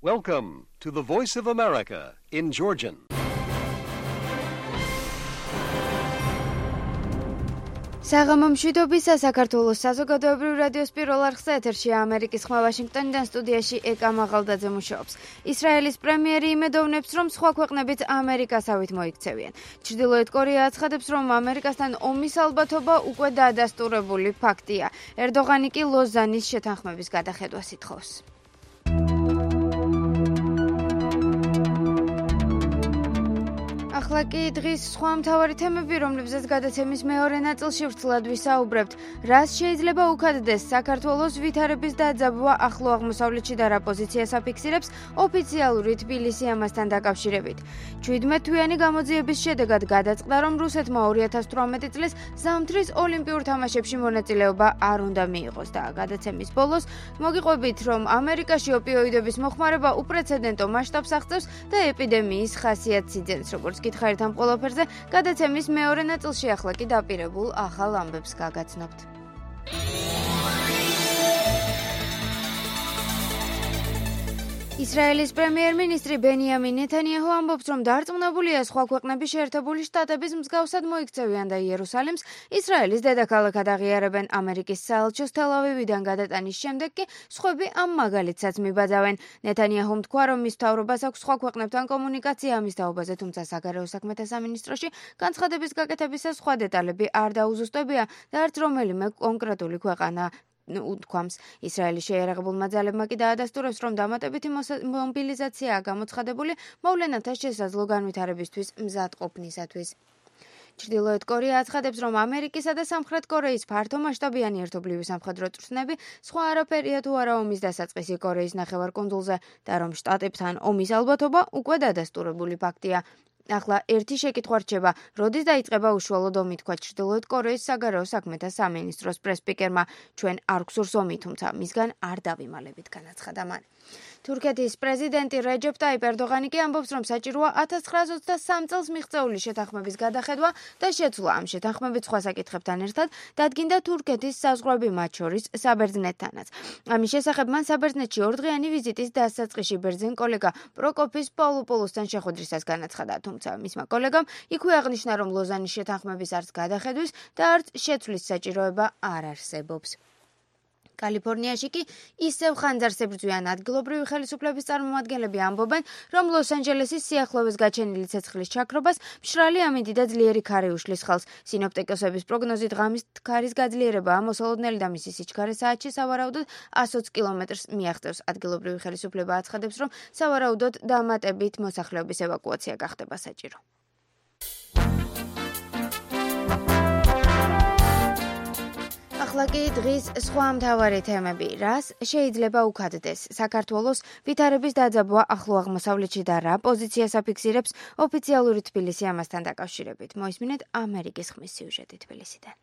Welcome to the Voice of America in Georgian. საღამო მშვიდობისა საქართველოს საზოგადოებრივ რადიოს პირველ არხზე ეთერშია ამერიკის ხმა ვაშინგტონიდან სტუდიაში ეკა მაღალდაძე მუშაობს. ისრაელის პრემიერი იმედოვნებს, რომ სხვა ქვეყნებიც ამერიკასავით მოიქცევიან. ჩრდილოეთ კორეა აცხადებს, რომ ამერიკასთან ომის ალბათობა უკვე დადასტურებული ფაქტია. ერდოღანი კი ლოზანის შეთანხმების გადახედვას ითხოვს. ახლა კი დღის სხვა მთავარი თემები, რომლებზეც გადაცემის მეორე ნაწილში ვრცლად ვისაუბრებთ. რას შეიძლება უქადდეს საქართველოს ვითარების დაძაბვა ახლო აღმოსავლეთში და რა პოზიციას აფიქსირებს ოფიციალური თბილისი ამასთან დაკავშირებით. 17 თვიანი გამოძიების შედეგად გადაწყდა, რომ რუსეთმა 2018 წლის ზამთრის ოლიმპიურ თამაშებში მონაწილეობა არ უნდა მიიღოს და გადაცემის ბოლოს მოგიყვებით, რომ ამერიკაში ოპიოიდების მოხმარება უპრეცედენტო მასშტაბს აღწევს და ეპიდემიის ხასიათს იძენს, როგორც გითხარით ამ ყველაფერზე, გადაცემის მეორე ნაწილში ახლა კი დაპირებულ ახალ ამბებს გაგაცნობთ. ისრაელის პრემიერ-მინისტრი ბენიამინ ნეთანიაჰუ ამბობს, რომ დარწმუნებულია სხვა ქვეყნების შეერთებული შტატების მსგავსად მოიქცევიან და იერუსალიმს ისრაელის დედაქალაქად აღიარებენ. ამერიკის საელჩოს თელ-ავივიდან გადატანის შემდეგ კი სხვები ამ მაგალითსაც მიბაძავენ. ნეთანიაჰუმ თქვა, რომ მის მთავრობას აქვს სხვა ქვეყნებთან კომუნიკაცია ამის თაობაზე, თუმცა საგარეო საქმეთა სამინისტროში განცხადების გაკეთებისას სხვა დეტალები არ დაუზუსტებია და არც რომელიმე კონკრეტული ქვეყანა უთქვამს. ისრაელის შეიარაღებულმა ძალებმა კი დაადასტურებს, რომ დამატებითი მობილიზაციაა გამოცხადებული მოვლენათა შესაძლო განვითარებისთვის მზადყოფნისათვის. ჩრდილოეთ კორეა აცხადებს, რომ ამერიკისა და სამხრეთ კორეის ფართომასშტაბიანი ერთობლივი სამხედრო წვრთნები სხვა არაფერია თუ არა ომის დასაწყისი კორეის ნახევარკუნძულზე და რომ შტატებთან ომის ალბათობა უკვე დადასტურებული ფაქტია. ახლა ერთი შეკითხვა რჩება, როდის დაიწყება უშუალოდ ომი, თქვა ჩრდილოეთ კორეის საგარეო საქმეთა სამინისტროს პრეს-სპიკერმა. ჩვენ არ გვსურს ომი, თუმცა მისგან არ დავიმალებით, განაცხადა მან. თურქეთის პრეზიდენტი რეჯეპ ტაიპ ერდოღანი კი ამბობს, რომ საჭიროა 1923 წელს მიღწეული შეთანხმების გადახედვა და შეცვლა. ამ შეთანხმებით სხვა საკითხებთან ერთად დადგინდა თურქეთის საზღვრები, მათ შორის საბერძნეთთანაც. ამის შესახებ მან საბერძნეთში ორდღიანი ვიზიტის დასაწყისში ბერძენ კოლეგა პროკოფის პავლოპოლოსთან შეხვედრისას განაცხადა, თუმცა მისმა კოლეგამ იქვე აღნიშნა, რომ ლოზანის შეთანხმების არც გადახედვის და არც შეცვლის საჭიროება არ არსებობს. კალიფორნიაში კი ისევ ხანძარს ებრძვიან ადგილობრივი ხელისუფლების წარმომადგენლები ამბობენ, რომ ლოს-ანჯელესის სიახლოვეს გაჩენილი ცეცხლის ჩაქრობას მშრალი ამინდი და ძლიერი ქარი უშლის ხელს. სინოპტიკოსების პროგნოზით ღამის ქარის გაძლიერებაა მოსალოდნელი და მისი სიჩქარე საათში სავარაუდოდ 120 კილომეტრს მიაღწევს. ადგილობრივი ხელისუფლება აცხადებს, რომ სავარაუდოდ დამატებით მოსახლეობის ევაკუაცია გახდება საჭირო. ახლა კი დღის სხვა მთავარი თემები. რას შეიძლება უქადდეს საქართველოს ვითარების დაძაბვა ახლო აღმოსავლეთში და რა პოზიციას აფიქსირებს ოფიციალური თბილისი ამასთან დაკავშირებით. მოისმინეთ ამერიკის ხმის სიუჟეტი თბილისიდან.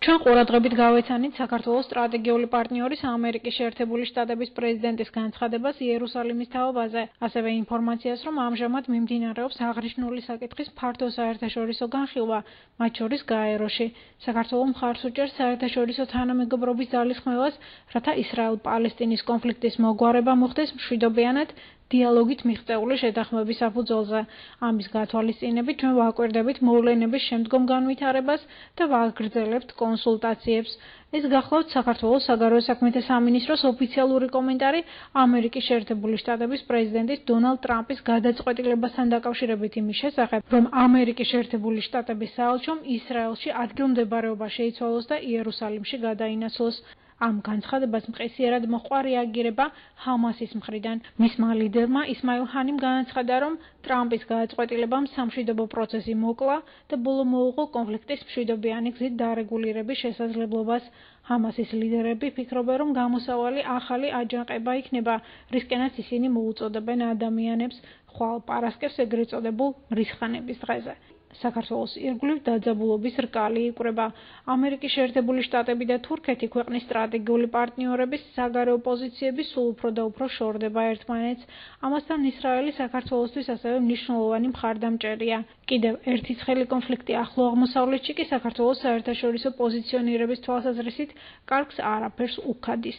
ჩვენ ყურადღებით გავეცანით საქართველოს სტრატეგიული პარტნიორის ამერიკის შეერთებული შტატების პრეზიდენტის განცხადებას იერუსალიმის თაობაზე, ასევე ინფორმაციას, რომ ამჟამად მიმდინარეობს აღნიშნული საკითხის ფართო საერთაშორისო განხილვა, მათ შორის გაეროში. საქართველო მხარს უჭერს საერთაშორისო თანამეგობრობის ძალისხმევას, რათა ისრაელ-პალესტინის კონფლიქტის მოგვარება მოხდეს მშვიდობიანად დიალოგით მიღწეული შეთანხმების საფუძველზე. ამის გათვალისწინებით ჩვენ ვაკვირდებით მოვლენების შემდგომ განვითარებას და ვაგრძელებთ კონსულტაციებს. ეს გახლავთ საქართველოს საგარეო საქმეთა სამინისტროს ოფიციალური კომენტარი ამერიკის შეერთებული შტატების პრეზიდენტის დონალდ ტრამპის გადაწყვეტილებასთან დაკავშირებით იმის შესახებ, რომ ამერიკის შეერთებული შტატების საელჩომ ისრაელში ადგილმდებარეობა შეიცვალოს და იერუსალიმში გადაინაცვლოს. ამ განცხადებას მყისიერად მოჰყვა რეაგირება ჰამასის მხრიდან. მისმა ლიდერმა ისმაილ ჰანიმ განაცხადა, რომ ტრამპის გადაწყვეტილებამ სამშვიდობო პროცესი მოკლა და ბოლო მოუღო კონფლიქტის მშვიდობიანი გზით დარეგულირების შესაძლებლობას. ჰამასის ლიდერები ფიქრობენ, რომ გამოსავალი ახალი აჯანყება იქნება, რისკენაც ისინი მოუწოდებენ ადამიანებს ხვალ პარასკევს ეგრეთ წოდებულ მრისხანების დღეზე. საქართველოს ირგვლივ დაძაბულობის რკალი იკვრება. ამერიკის შეერთებული შტატები და თურქეთი ქვეყნის სტრატეგიული პარტნიორების საგარეო პოზიციები სულ უფრო და უფრო შორდება ერთმანეთს. ამასთან ისრაელი საქართველოსთვის ასევე მნიშვნელოვანი მხარდამჭერია. კიდევ ერთი ცხელი კონფლიქტი ახლო აღმოსავლეთში კი საქართველოს საერთაშორისო პოზიციონირების თვალსაზრისით კარგს არაფერს უქადის.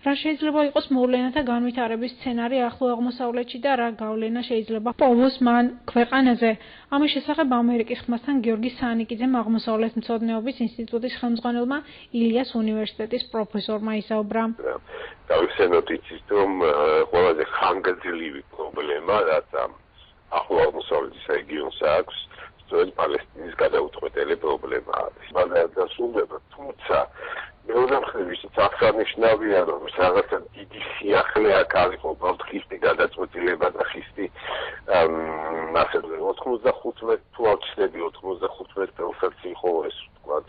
რა შეიძლება იყოს მოვლენათა განვითარების სცენარი ახლო აღმოსავლეთში და რა გავლენა შეიძლება პოვოს მან ქვეყანაზე? ამის შესახებ ამერიკის ხმასთან გიორგი სანიკიძემ აღმოსავლეთმცოდნეობის ინსტიტუტის ხელმძღვანელმა ილიას უნივერსიტეტის პროფესორმა ისაუბრა. დავიხსენოთ იცით, რომ ყველაზე ხანგრძლივი პრობლემა, რაც ახლო აღმოსავლეთის რეგიონს აქვს, სწორედ პალესტინის გადაუწყვეტელი პრობლემა არის. მაგრამ დასრულდება, თუმცა მეორე მხრივ ისიც აღსანიშნავია, რომ რაღაცა დიდი სიახლე აქ არის უბრალოდ ხისტი გადაწყვეტილება და ხისტი ასე 95 თუ არ ვცდები 95 წელსაც იყო ეს ვთქვათ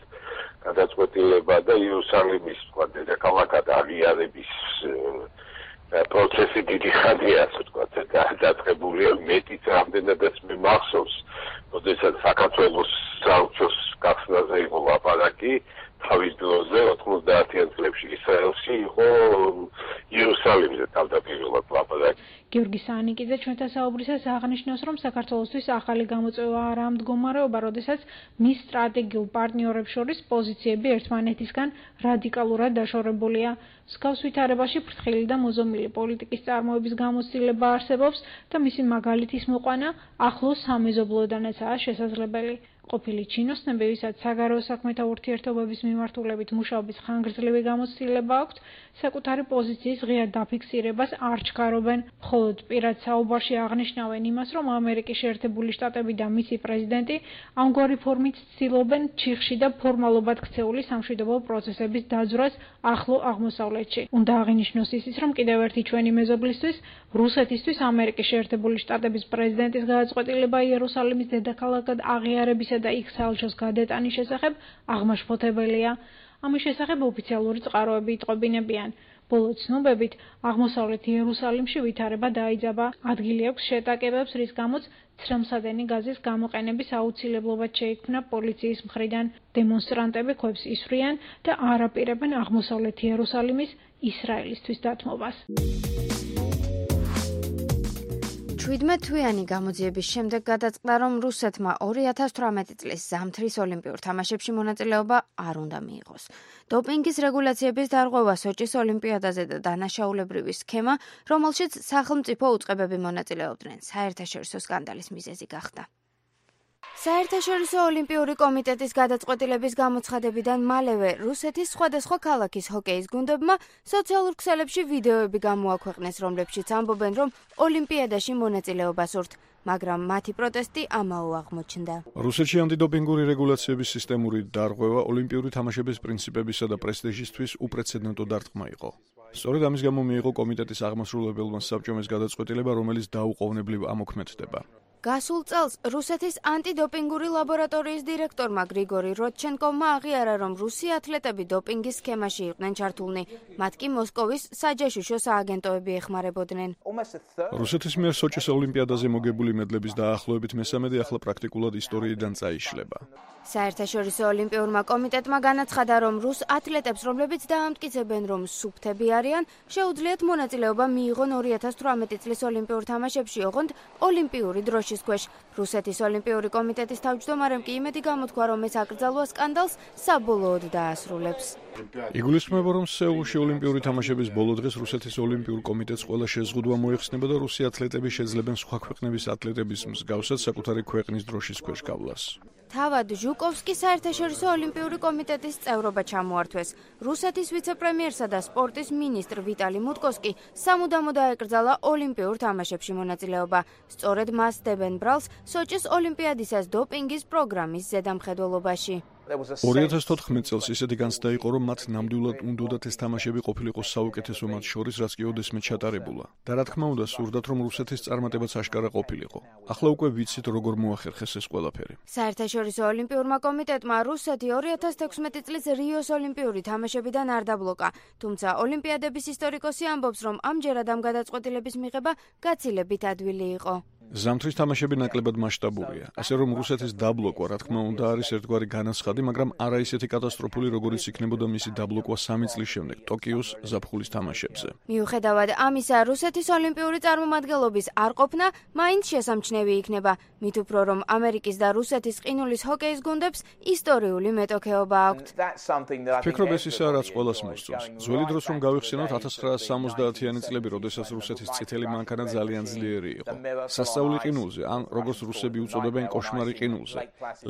გადაწყვეტილება და იერუსალიმის ვთქვათ დედაქალაქად აღიარების პროცესი დიდი ხანია ასე ვთქვათ დაწყებულია მეტიც რამდენადაც მე მახსოვს როდესაც საქართველოს საელჩოს გახსნაზე იყო ლაპარაკი თავის დროზე 90-იან წლებში ისრაელში იყო იერუსალიმზე თავდაპირველად ლაპარაკი. გიორგი სანიკიძე ჩვენთან საუბრისას აღნიშნავს, რომ საქართველოსთვის ახალი გამოწვევა არაა მდგომარეობა, როდესაც მის სტრატეგიულ პარტნიორებს შორის პოზიციები ერთმანეთისგან რადიკალურად დაშორებულია. მსგავს ვითარებაში ფრთხილი და მოზომილი პოლიტიკის წარმოების გამოცდილება არსებობს და მისი მაგალითის მოყვანა ახლო სამეზობლოდანაცაა შესაძლებელი. ყოფილი ჩინოსნები, ვისაც საგარეო საქმეთა ურთიერთობების მიმართულებით მუშაობის ხანგრძლივი გამოცდილება აქვთ, საკუთარი პოზიციის ღია დაფიქსირებას არ ჩქარობენ. მხოლოდ პირად საუბარში აღნიშნავენ იმას, რომ ამერიკის შეერთებული შტატები და მისი პრეზიდენტი ამგვარი ფორმით ცდილობენ ჩიხში და ფორმალობად ქცეული სამშვიდობო პროცესების დაძვრას ახლო აღმოსავლეთში. უნდა აღინიშნოს ისიც, რომ კიდევ ერთი ჩვენი მეზობლისთვის, რუსეთისთვის ამერიკის შეერთებული შტატების პრეზიდენტის გადაწყვეტილება იერუსალიმის დედაქალაქად აღიარების და იქ საელჩოს გადატანის შესახებ აღმაშფოთებელია. ამის შესახებ ოფიციალური წყაროები იტყობინებიან. ბოლო ცნობებით, აღმოსავლეთ იერუსალიმში ვითარება დაიძაბა. ადგილი აქვს შეტაკებებს, რის გამოც ცრემლსადენი გაზის გამოყენების აუცილებლობა შეიქმნა პოლიციის მხრიდან. დემონსტრანტები ქვებს ისვრიან და არ აპირებენ აღმოსავლეთ იერუსალიმის ისრაელისთვის დათმობას. 17 თვიანი გამოძიების შემდეგ გადაწყდა, რომ რუსეთმა 2018 წლის ზამთრის ოლიმპიურ თამაშებში მონაწილეობა არ უნდა მიიღოს. დოპინგის რეგულაციების დარღვევა სოჭის ოლიმპიადაზე და დანაშაულებრივი სქემა, რომელშიც სახელმწიფო უწყებები მონაწილეობდნენ, საერთაშორისო სკანდალის მიზეზი გახდა. საერთაშორისო ოლიმპიური კომიტეტის გადაწყვეტილების გამოცხადებიდან მალევე რუსეთის სხვადასხვა ქალაქის ჰოკეის გუნდებმა სოციალურ ქსელებში ვიდეოები გამოაქვეყნეს, რომლებშიც ამბობენ, რომ ოლიმპიადაში მონაწილეობას სურთ, მაგრამ მათი პროტესტი ამაო აღმოჩნდა. რუსეთში ანტიდოპინგური რეგულაციების სისტემური დარღვევა ოლიმპიური თამაშების პრინციპებისა და პრესტიჟისთვის უპრეცედენტო დარტყმა იყო. სწორედ ამის გამო მიიღო კომიტეტის აღმასრულებელმა საბჭომ ეს გადაწყვეტილება, რომელიც დაუყოვნებლივ ამოქმედდება. გასულ წელს რუსეთის ანტიდოპინგური ლაბორატორიის დირექტორმა გრიგორი როდჩენკოვმა აღიარა, რომ რუსი ათლეტები დოპინგის სქემაში იყვნენ ჩართულნი, მათ კი მოსკოვის საჯაშუშო სააგენტოები ეხმარებოდნენ. რუსეთის მიერ სოჭის ოლიმპიადაზე მოგებული მედლების დაახლოებით მესამედი ახლა პრაქტიკულად ისტორიიდან წაიშლება. საერთაშორისო ოლიმპიურმა კომიტეტმა განაცხადა, რომ რუს ათლეტებს, რომლებიც დაამტკიცებენ, რომ სუფთები არიან, შეუძლიათ მონაწილეობა მიიღონ 2018 წლის ოლიმპიურ თამაშებში, ოღონდ ოლიმპიური დროშის ქვეშ. რუსეთის ოლიმპიური კომიტეტის თავმჯდომარემ კი იმედი გამოთქვა, რომ ეს აკრძალვა სკანდალს საბოლოოდ დაასრულებს. იგულისხმება, რომ სეულში ოლიმპიური თამაშების ბოლო დღეს რუსეთის ოლიმპიურ კომიტეტს ყველა შეზღუდვა მოიხსნება და რუსი ათლეტები შეძლებენ სხვა ქვეყნების ათლეტების მსგავსად საკუთარი ქვეყნის დროშის ქვეშ გავლას. თავად ჟუკოვსკი საერთაშორისო ოლიმპიური კომიტეტის წევრობა ჩამოართვეს. რუსეთის ვიცე-პრემიერსა და სპორტის მინისტრ ვიტალი მუტკოს კი სამუდამო დაეკრძალა ოლიმპიურ თამაშებში მონაწილეობა. სწორედ მას დებენ ბრალს სოჭის ოლიმპიადისას დოპინგის პროგრამის ზედამხედველობაში. 2014 წელს ისეთი განცდა იყო, რომ მათ ნამდვილად უნდათ ეს თამაშები ყოფილიყო საუკეთესო მათ შორის, რაც კი ოდესმე ჩატარებულა. და რა თქმა უნდა, სურდათ, რომ რუსეთის წარმატებაც აშკარა ყოფილიყო. ახლა უკვე ვიცით, როგორ მოახერხეს ეს ყველაფერი. საერთაშორისო ოლიმპიურმა კომიტეტმა რუსეთი 2016 წლის რიოს ოლიმპიური თამაშებიდან არ დაბლოკა, თუმცა ოლიმპიადების ისტორიკოსი ამბობს, რომ ამჯერად ამ გადაწყვეტილების მიღება გაცილებით ადვილი იყო. ზამთრის თამაშები ნაკლებად მასშტაბურია, ასე რომ რუსეთის დაბლოკვა, რა თქმა უნდა, არის ერთგვარი განაცხადი, მაგრამ არა ისეთი კატასტროფული, როგორიც იქნებოდა მისი დაბლოკვა 3 წლის შემდეგ ტოკიოს ზაფხულის თამაშებზე. მიუხედავად ამისა, რუსეთის ოლიმპიური წარმომადგენლობის არ ყოფნა მაინც შესამჩნევი იქნება, მით უფრო რომ ამერიკის და რუსეთის ყინულის ჰოკეის გუნდებს ისტორიული მეტოქეობა აქვთ. ფიქრობ ეს ისაა, რაც ყველას მოსწონს. ძველი დროს რომ გავიხსენოთ 1970-იანი წლები, როდესაც რუსეთის წითელი მანქანა ძალიან ძლიერი იყო. სასწაული ყინულზე, ან როგორც რუსები უწოდებენ კოშმარი ყინულზე.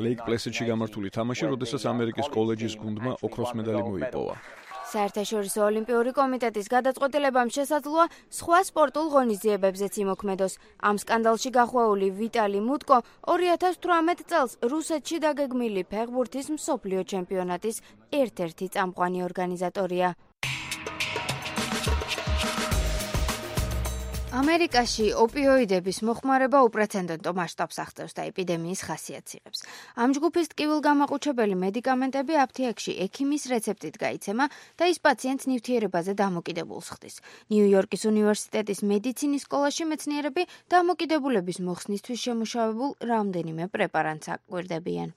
ლეიკ პლესიდში გამართული თამაში, როდესაც ამერიკის კოლეჯის გუნდმა ოქროს მედალი მოიპოვა. საერთაშორისო ოლიმპიური კომიტეტის გადაწყვეტილებამ შესაძლოა სხვა სპორტულ ღონისძიებებზეც იმოქმედოს. ამ სკანდალში გახვეული ვიტალი მუტკო 2018 წელს რუსეთში დაგეგმილი ფეხბურთის მსოფლიო ჩემპიონატის ერთ-ერთი წამყვანი ორგანიზატორია. ამერიკაში ოპიოიდების მოხმარება უპრეცედენტო მასშტაბს აღწევს და ეპიდემიის ხასიათს იღებს. ამ ჯგუფის ტკივილგამაყუჩებელი მედიკამენტები აფთიაქში ექიმის რეცეპტით გაიცემა და ის პაციენტს ნივთიერებაზე დამოკიდებულს ხდის. ნიუ-იორკის უნივერსიტეტის მედიცინის სკოლაში მეცნიერები დამოკიდებულების მოხსნისთვის შემუშავებულ რამდენიმე პრეპარატს აკვირდებიან.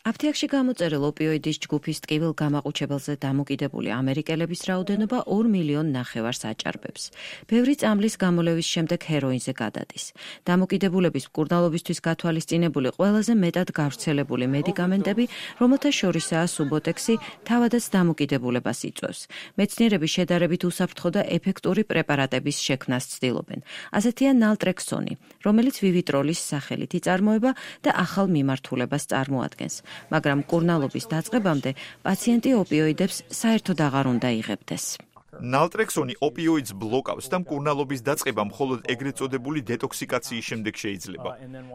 აფთიაქში გამოწერილ ოპიოიდის ჯგუფის ტკივილგამაყუჩებელზე დამოკიდებული ამერიკელების რაოდენობა 2,5 მილიონს აჭარბებს. ბევრი წამლის გამოლევის შემდეგ ჰეროინზე გადადის. დამოკიდებულების მკურნალობისთვის გათვალისწინებული ყველაზე მეტად გავრცელებული მედიკამენტები, რომელთა შორისაა სუბოტექსი, თავადაც დამოკიდებულებას იწვევს. მეცნიერები შედარებით უსაფრთხო და ეფექტური პრეპარატების შექმნას ცდილობენ. ასეთია ნალტრექსონი, რომელიც ვივიტროლის სახელით იწარმოება და ახალ მიმართულებას წარმოადგენს. მაგრამ მკურნალობის დაწყებამდე პაციენტი ოპიოიდებს საერთოდ აღარ უნდა იღებდეს. ნალტრექსონი ოპიოიდს ბლოკავს და მკურნალობის დაწყება მხოლოდ ეგრეთ წოდებული დეტოქსიკაციის შემდეგ შეიძლება.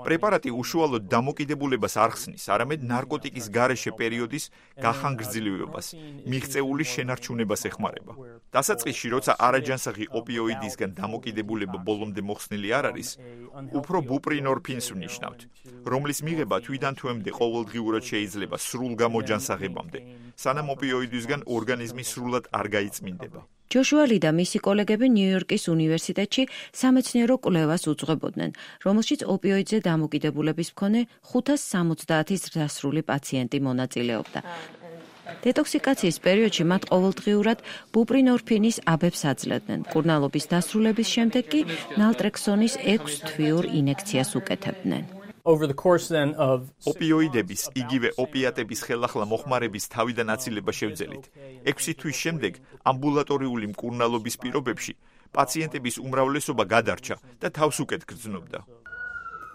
პრეპარატი უშუალოდ დამოკიდებულებას არ ხსნის, არამედ ნარკოტიკის გარეშე პერიოდის გახანგრძლივებას, მიღწეული შენარჩუნებას ეხმარება. დასაწყისში, როცა არაჯანსაღი ოპიოიდისგან დამოკიდებულება ბოლომდე მოხსნილი არ არის, უფრო ბუპრინორფინს ვნიშნავთ, რომლის მიღება თვიდან თვემდე ყოველდღიურად შეიძლება სრულ გამოჯანსაღებამდე, სანამ ოპიოიდისგან ორგანიზმი სრულად არ გაიწმინდება. ჯოშუა ლი და მისი კოლეგები ნიუ-იორკის უნივერსიტეტში სამეცნიერო კვლევას უძღვებოდნენ, რომელშიც ოპიოიდზე დამოკიდებულების მქონე 570 ზრდასრული პაციენტი მონაწილეობდა. დეტოქსიკაციის პერიოდში მათ ყოველდღიურად ბუპრინორფინის აბებს აძლევდნენ. მკურნალობის დასრულების შემდეგ კი ნალტრექსონის 6 თვიურ ინექციას უკეთებდნენ. ოპიოიდების, იგივე ოპიატების ხელახლა მოხმარების თავიდან აცილება შევძელით. 6 თვის შემდეგ ამბულატორიული მკურნალობის პირობებში პაციენტების უმრავლესობა გადარჩა და თავს უკეთ გრძნობდა.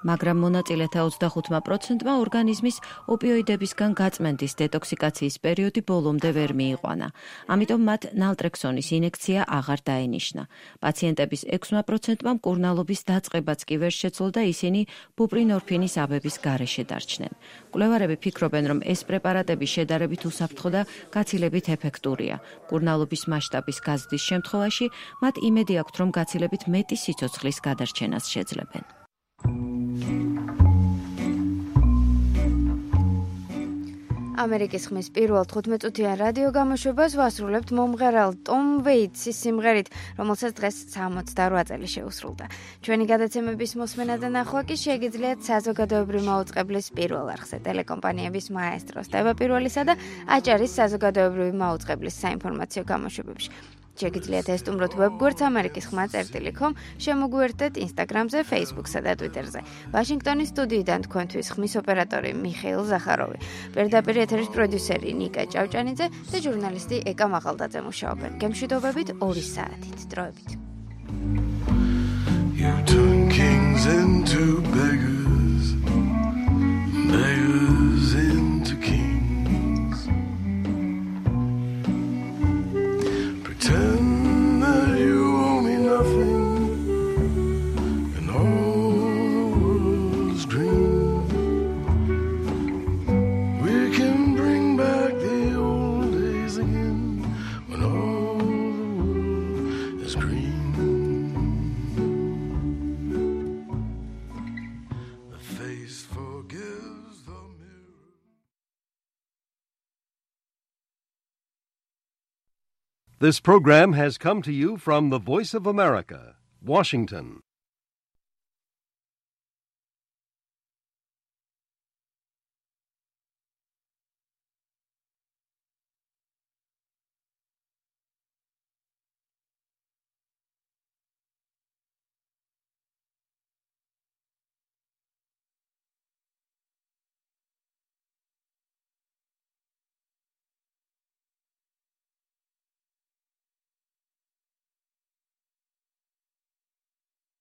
მაგრამ მონაწილეთა 25%-მა ორგანიზმის ოპიოიდებისგან გაწმენდის დეტოქსიკაციის პერიოდი ბოლომდე ვერ მიიყვანა. ამიტომ მათ ნალტრექსონის ინექცია აღარ დაენიშნა. პაციენტების 6%-მა მკურნალობის დაწყებაც კი ვერ შეძლო და ისინი ბუპრინორფინის აბების გარეშე დარჩნენ. მკვლევარები ფიქრობენ, რომ ეს პრეპარატები შედარებით უსაფრთხო და გაცილებით ეფექტურია. მკურნალობის მასშტაბის გაზრდის შემთხვევაში მათ იმედი აქვთ, რომ გაცილებით მეტი სიცოცხლის გადარჩენას შეძლებენ. ამერიკის ხმის პირველ 15-წუთიან რადიო გამოშვებას ვასრულებთ მომღერალ ტომ ვეიტსის სიმღერით, რომელსაც დღეს 68 წელი შეუსრულდა. ჩვენი გადაცემების მოსმენა და ნახვა კი შეგიძლიათ საზოგადოებრივი მაუწყებლის პირველ არხზე, ტელეკომპანიების მაესტროს, ტევა პირველისა და აჭარის საზოგადოებრივი მაუწყებლის საინფორმაციო გამოშვებებში. შეგიძლიათ ესტუმროთ ვებგვერდს amerikis.com, შემოგვიერთდეთ Instagram-ზე, Facebook-სა და Twitter-ზე. ვაშინგტონის სტუდიიდან თქვენთვის ხმის ოპერატორი მიხეილ ზახაროვი, პირდაპირ ეთერის პროდიუსერი ნიკა ჭავჭანიძე და ჟურნალისტი ეკა მაღალდაძე მუშაობენ. გემშვიდობებით 2 საათით. დროებით. You turn kings into beggars, beggars into kings. Pretend that you owe me nothing, and all the world's dream. We can bring back the old days again, when all the world is green. The face forgives the mirror. This program has come to you from the Voice of America, Washington.